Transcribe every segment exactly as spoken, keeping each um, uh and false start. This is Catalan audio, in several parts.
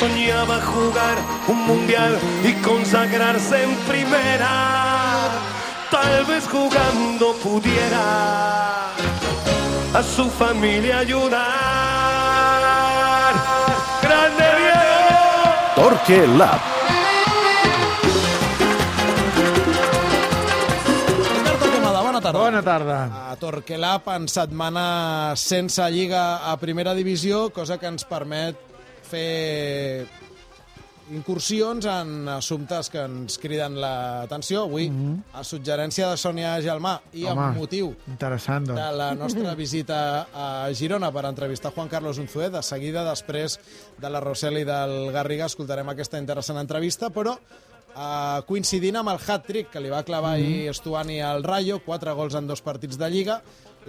soñaba jugar un mundial y consagrarse en primera. Tal vez jugando pudiera a su familia ayudar. ¡Grande Diego! Torque Lab. Bona tarda. Bona tarda. A Torquelab en setmana sense Lliga a Primera Divisió, cosa que ens permet fer incursions en assumptes que ens criden l'atenció. Avui, mm-hmm. a suggerència de Sònia Gelmà i Home, amb motiu interessant, doncs. de la nostra visita a Girona per entrevistar Juan Carlos Unzué. De seguida, després de la Rosel i del Garriga, escoltarem aquesta interessant entrevista, però Uh, coincidint amb el hat-trick que li va clavar mm-hmm. ahir Stuani al Rayo, quatre gols en dos partits de Lliga,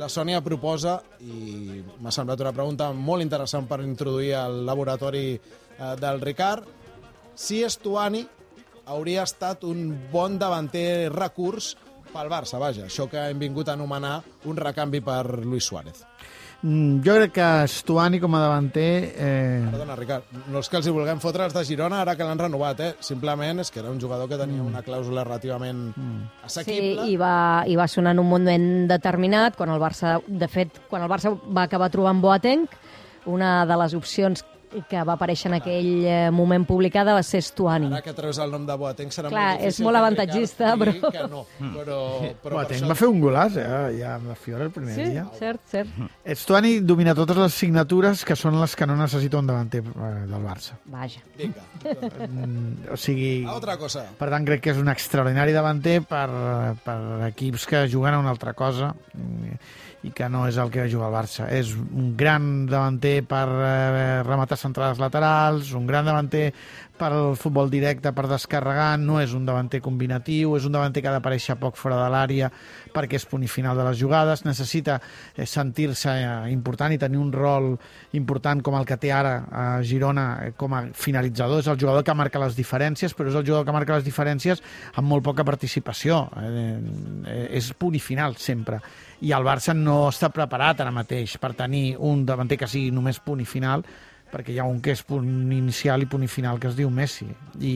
la Sònia proposa, i m'ha semblat una pregunta molt interessant per introduir al laboratori uh, del Ricard, si Stuani hauria estat un bon davanter recurs pel Barça, vaja, això que hem vingut a anomenar un recanvi per Luis Suárez. Jo crec que Stuani com a davanter... Eh... Perdona, Ricard, no és que els hi vulguem fotre els de Girona ara que l'han renovat, eh? Simplement és que era un jugador que tenia una clàusula relativament assequible. Sí, i va, i va sonar en un moment determinat, quan el Barça, de fet, quan el Barça va acabar trobant Boateng, una de les opcions que va aparèixer en aquell moment publicada va ser Stuani. Ara que treus el nom de Boateng serà Clar, molt difícil. és molt avantatgista, però... Que no, però, però Boateng això... va fer un golaç, eh? Ja amb la Fiora el primer Sí, dia. cert, cert. Stuani domina totes les signatures que són les que no necessita un davanter eh, del Barça. Vaja. Vinga. Mm, o sigui... Altra cosa. Per tant, crec que és un extraordinari davanter per, per equips que juguen a una altra cosa i que no és el que juga el Barça. És un gran davanter per eh, rematar centrades laterals, un gran davanter per al futbol directe, per descarregar, no és un davanter combinatiu, és un davanter que ha d'aparèixer poc fora de l'àrea perquè és punt i final de les jugades, necessita eh, sentir-se eh, important i tenir un rol important com el que té ara a Girona eh, com a finalitzador. És el jugador que marca les diferències, però és el jugador que marca les diferències amb molt poca participació. Eh, eh, és punt i final sempre. I el Barça no està preparat ara mateix per tenir un davanter que sigui només punt i final, perquè hi ha un que és punt inicial i punt i final que es diu Messi. I,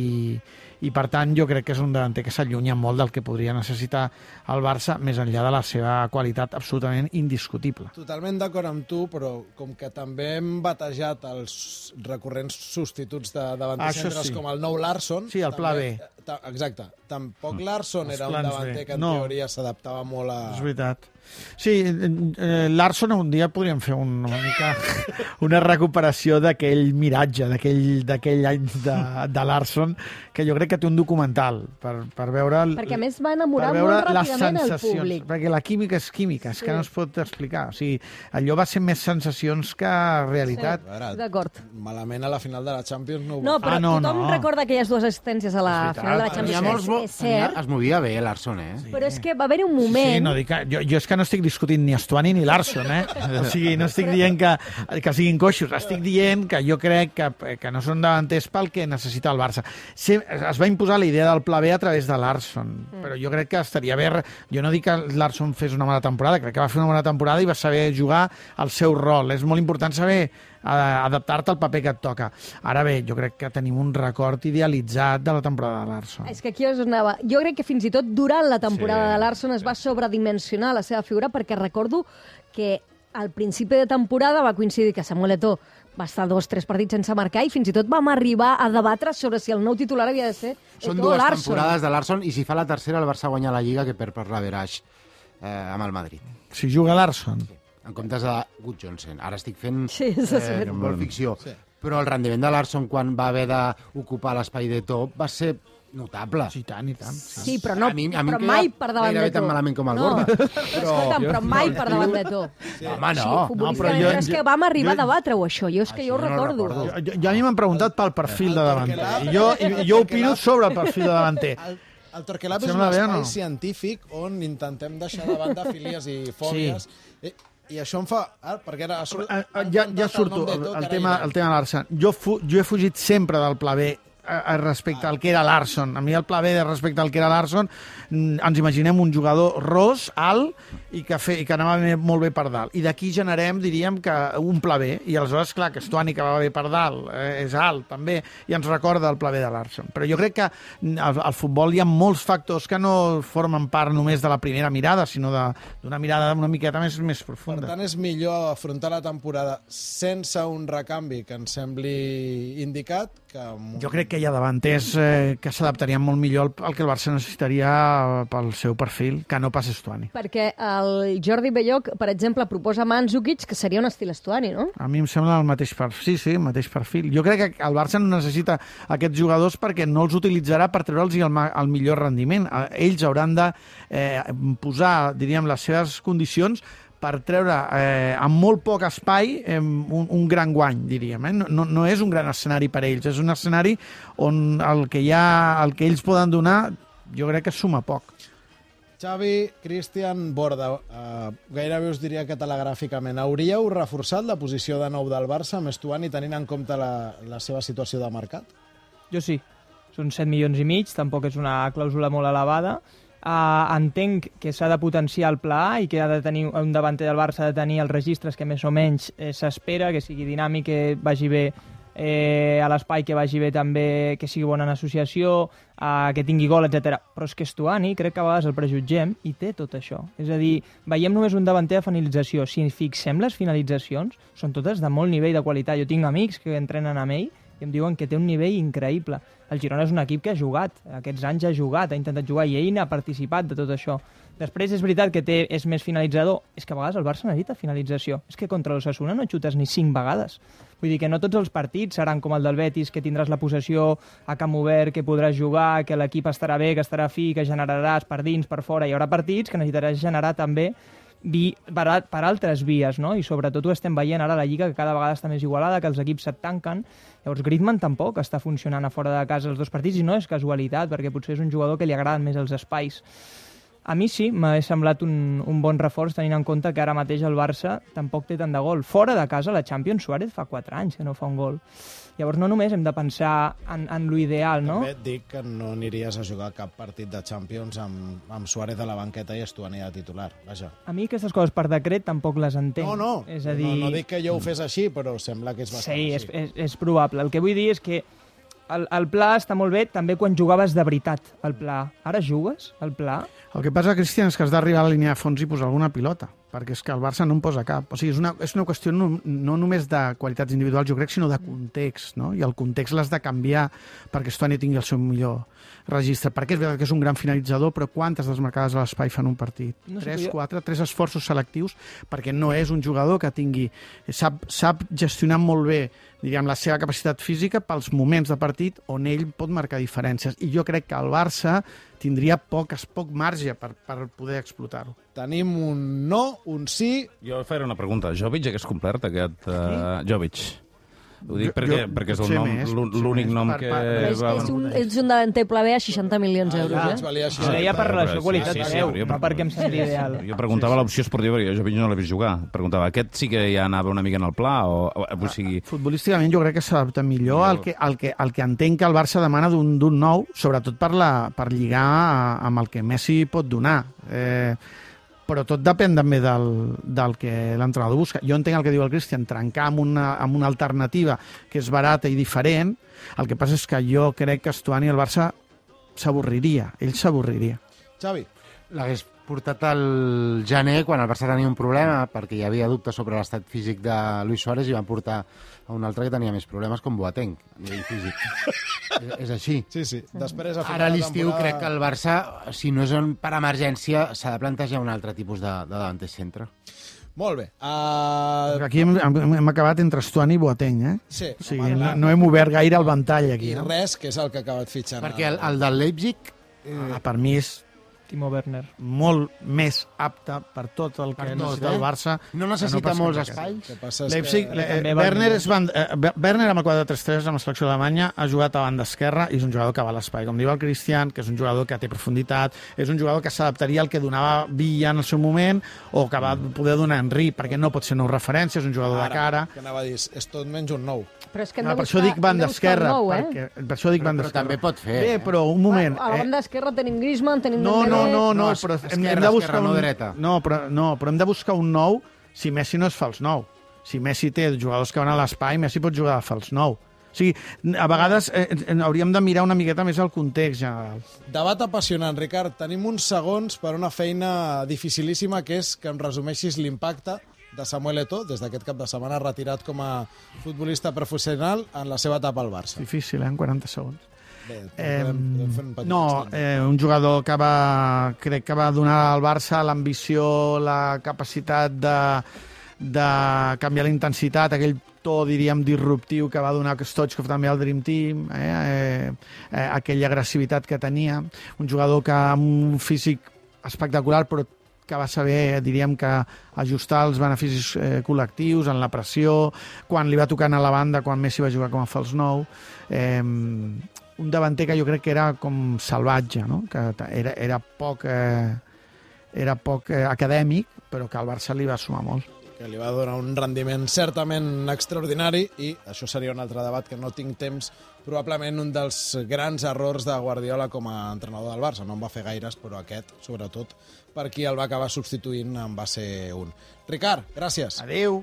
i per tant jo crec que és un davanter que s'allunya molt del que podria necessitar el Barça, més enllà de la seva qualitat absolutament indiscutible. Totalment d'acord amb tu, però com que també hem batejat els recurrents substituts de davanters centres sí. com el nou Larsson... Sí, el pla també, B. Ta, exacte. Tampoc Larsson Els era un plans davanter B. que en No. teoria s'adaptava molt a... És veritat. Sí, eh, Larsson un dia podríem fer un, una mica una recuperació d'aquell miratge, d'aquell any de, de Larsson, que jo crec que té un documental per, per veure... Perquè a més va enamorar per veure molt les ràpidament el sensacions, públic. perquè la química és química, és Sí. que no es pot explicar. O sigui, allò va ser més sensacions que realitat. A veure, D'acord. malament a la final de la Champions no ho No, va però Ah, no, tothom no. recorda aquelles dues assistències a la És veritat. final de la Hi ha Champions. molts bo... És cert, Es movia bé, Larsson, eh? Sí. però és que va haver-hi un moment... Sí, no dic que, jo, jo és que no estic discutint ni Stuani ni Larsson, eh? O sigui, no estic dient que, que siguin coixos, estic dient que jo crec que, que no són davanters pel que necessita el Barça. Sí, es va imposar la idea del pla B a través de Larsson, mm. però jo crec que estaria bé... Jo no dic que Larsson fes una mala temporada, crec que va fer una bona temporada i va saber jugar el seu rol. És molt important saber adaptar-te al paper que et toca. Ara bé, jo crec que tenim un record idealitzat de la temporada de Larsson. És que aquí us anava. Jo crec que fins i tot durant la temporada Sí, de Larsson es va sobredimensionar la seva figura, perquè recordo que al principi de temporada va coincidir que Samuel Eto'o va estar dos, tres partits sense marcar i fins i tot vam arribar a debatre sobre si el nou titular havia de ser Són Eto'o o dues Larsson. temporades de Larsson i si fa la tercera el Barça guanya la Lliga que perd per l'averaix eh, amb el Madrid. Si juga Larsson. En comptes de Good Johnson. Ara estic fent Sí, això és eh, veritat. molt ficció. Sí. Però el rendiment de Larsson quan va haver d'ocupar l'espai de top va ser notable. Sí, tant i tant. Sí. Sí, però, no, A mi- a mi però em mai queda per davant gairebé de tan tu. malament com el no. Borja. Però... Escolta'm, però mai per davant de tu. Sí. Home, no. Sí, No, futbolísticament, però però, jo- és que jo- vam arribar jo- a debatre-ho, això. Jo és que Això jo ho no recordo. recordo. Jo, jo a mi m'han preguntat pel perfil de davanter. Torquelab- I jo, i jo opino sobre el perfil de davanter. El, el Torquelab és un Sembla bé o espai no? científic on intentem deixar de banda filies i fòbies. Sí. I, I això em fa... Ah, perquè ara... Ha surt, Ah, ah, Ja, ja surto, el, el, tema, el tema Larsson. Jo, fu, jo he fugit sempre del pla B respecte al que era Larsson. A mi el pla B respecte al que era Larsson, ens imaginem un jugador ros, alt, i que, fe, i que anava molt bé per dalt. I d'aquí generem, diríem, que un pla B. I aleshores, clar, que Stuani, que va bé per dalt, eh, és alt, també, i ens recorda el pla B de Larsson. Però jo crec que al, al futbol hi ha molts factors que no formen part només de la primera mirada, sinó d'una mirada una miqueta més, més profunda. Per tant, és millor afrontar la temporada sense un recanvi que ens sembli indicat que... Jo crec que hi ha davanters eh, que s'adaptarien molt millor al, al que el Barça necessitaria pel seu perfil, que no pas Stuani. Perquè el Jordi Belloc, per exemple, proposa Mandzukic, que seria un estil Stuani, no? A mi em sembla el mateix perfil. Sí, sí, el mateix perfil. Jo crec que el Barça no necessita aquests jugadors perquè no els utilitzarà per treure'ls el, el millor rendiment. Ells hauran de eh, posar, diríem, les seves condicions per treure eh, amb molt poc espai eh, un, un gran guany, diríem. Eh? No, no és un gran escenari per ells, és un escenari on el que, hi ha, el que ells poden donar jo crec que suma poc. Xavi, Cristian, Borda, eh, gairebé us diria que telegràficament, hauríeu reforçat la posició de nou del Barça amb Stuani tenint en compte la, la seva situació de mercat? Jo sí. Són set milions i mig, tampoc és una clàusula molt elevada. Uh, entenc que s'ha de potenciar el pla A i que ha de tenir un davanter del Barça ha de tenir els registres que més o menys eh, s'espera, que sigui dinàmic, que vagi bé eh, a l'espai, que vagi bé també, que sigui bona en associació, uh, que tingui gol, etcètera. Però és que Stuani, crec que a vegades el prejutgem i té tot això. És a dir, veiem només un davanter de finalització. Si fixem les finalitzacions, són totes de molt nivell de qualitat. Jo tinc amics que entrenen amb ell i em diuen que té un nivell increïble. El Girona és un equip que ha jugat, aquests anys ha jugat, ha intentat jugar i ell n'ha participat de tot això. Després és veritat que té, és més finalitzador, és que a vegades el Barça necessita finalització. És que contra l'Osasuna no xutes ni cinc vegades. Vull dir que no tots els partits seran com el del Betis, que tindràs la possessió a camp obert, que podràs jugar, que l'equip estarà bé, que estarà fi, que generaràs per dins, per fora. Hi haurà partits que necessitaràs generar també vi, per, per altres vies, no? I sobretot ho estem veient ara a la Lliga, que cada vegada està més igualada, que els equips se't tanquen. Llavors Griezmann tampoc està funcionant a fora de casa els dos partits i no és casualitat, perquè potser és un jugador que li agraden més els espais. A mi sí, m'ha semblat un, un bon reforç, tenint en compte que ara mateix el Barça tampoc té tant de gol. Fora de casa, la Champions, Suárez fa quatre anys que no fa un gol. Llavors no només hem de pensar en, en l'ideal, no? També et dic que no aniries a jugar cap partit de Champions amb, amb Suárez a la banqueta i Stuani de titular, vaja. A mi aquestes coses per decret tampoc les entenc. No, no, és a dir... no, no dic que jo ho fes així, però sembla que és bastant sí, així. Sí, és, és, és probable. El que vull dir és que el, el pla està molt bé també quan jugaves de veritat, el pla. Ara jugues, el pla? El que passa, Cristian, és que has d'arribar a la línia de fons i posar alguna pilota, perquè és que el Barça no en posa cap. O sigui, és una, és una qüestió no, no només de qualitats individuals, jo crec, sinó de context, no? I el context l'has de canviar perquè Stuani tingui el seu millor registre. Perquè és veritat que és un gran finalitzador, però quantes desmarcades a l'espai fan un partit? No sé, tres, jo... quatre, tres esforços selectius, perquè no és un jugador que tingui... Sap, sap gestionar molt bé, diríem, la seva capacitat física pels moments de partit on ell pot marcar diferències. I jo crec que el Barça tindria poc, poc marge per, per poder explotar-ho. Tenim un no, un sí... Jo faré una pregunta. Jovic hagués complert aquest... Uh, Jovic. Ho dic Jo- perquè, jo- perquè és el potser nom, més, l'ú- potser l'únic més. nom Per- que... per- És, va... és, un, és un davanter pla B a seixanta milions d'euros, Ah, eh? valia Ah, seixanta. Deia per però- relació sí, qualitat-preu, sí, sí, no perquè em sembli ideal. Jo preguntava l'opció esportiva, perquè jo Jovic no l'he vist jugar. Preguntava, aquest sí que ja anava una mica en el pla? O, o, o sigui... Futbolísticament jo crec que s'adapta millor al que, al, que, al que entenc que el Barça demana d'un d'un nou, sobretot per, la, per lligar a- amb el que Messi pot donar. Eh, però tot depèn també del, del que l'entrenador busca. Jo entenc el que diu el Cristian, trencar amb una, amb una alternativa que és barata i diferent. El que passa és que jo crec que Stuani el Barça s'avorriria, ell s'avorriria. Xavi, L'hagués portat al gener quan el Barça tenia un problema perquè hi havia dubtes sobre l'estat físic de Luis Suárez i van portar a un altre que tenia més problemes com Boateng a nivell físic. és, és així. sí, sí. Després, a final Ara a de l'estiu temporada- crec que el Barça, si no és un- per emergència, s'ha de plantejar un altre tipus de, de davanter centre. Molt bé. Uh... Aquí hem, hem, hem acabat entre Stuani i Boateng, eh? Sí, O sigui, home, no, clar. no hem obert gaire el ventall aquí. I No? res, que és el que ha acabat fitxant. Perquè el, el del Leipzig Ah, per mi és Timo Werner. molt més apte per tot el que Per tot, necessita eh? el Barça. no que necessita pas molts cap aquest. espais. El que passa és Leipzig, que... eh, també va Werner, millor. és band, eh, Werner amb el quatre tres tres amb la selecció d'Alemanya ha jugat a banda esquerra i és un jugador que va a l'espai, com diu el Cristian, que és un jugador que té profunditat, és un jugador que s'adaptaria al que donava Villa en el seu moment o que va poder donar Henry, perquè no pot ser nou referència, és un jugador de cara. que anava a dir, és tot menys un nou. Però és que hem Ah, de per això buscar, dic banda hem de buscar esquerra, un nou, eh? perquè, per això dic Però, banda però esquerra. també pot fer. Bé, eh? però un moment. A la banda esquerra tenim Griezmann, tenim No, no, Dembélé... no, no, No, però hem, esquerra, hem de buscar esquerra, un... no dreta. No, però, no, però hem de buscar un nou si Messi no és fals nou. Si Messi té jugadors que van a l'espai, Messi pot jugar de fals nou. O sigui, a vegades eh, eh, hauríem de mirar una miqueta més el context general. Debat apassionant, Ricard. Tenim uns segons per una feina dificilíssima, que és que em resumeixis l'impacte de Samuel Eto'o, des d'aquest cap de setmana retirat com a futbolista professional en la seva etapa al Barça. Difícil, eh, en quaranta segons. Bé, Eh, podem, podem fer un petit no, extens. eh, un jugador que va, crec que va donar al Barça l'ambició, la capacitat de, de canviar la intensitat, aquell to, diríem, disruptiu que va donar Stoichkov també al Dream Team, eh, eh, eh, aquella agressivitat que tenia, un jugador que amb un físic espectacular, però que va saber, diríem, que ajustar els beneficis eh, col·lectius en la pressió, quan li va tocant a la banda, quan Messi va jugar com a fals nou. Eh, un davanter que jo crec que era com salvatge, no? Que era, era poc, eh, era poc eh, acadèmic, però que al Barça li va sumar molt. Que li va donar un rendiment certament extraordinari, i això seria un altre debat que no tinc temps, probablement un dels grans errors de Guardiola com a entrenador del Barça. No en va fer gaires, però aquest, sobretot, per qui el va acabar substituint, en va ser un. Ricard, gràcies. Adéu.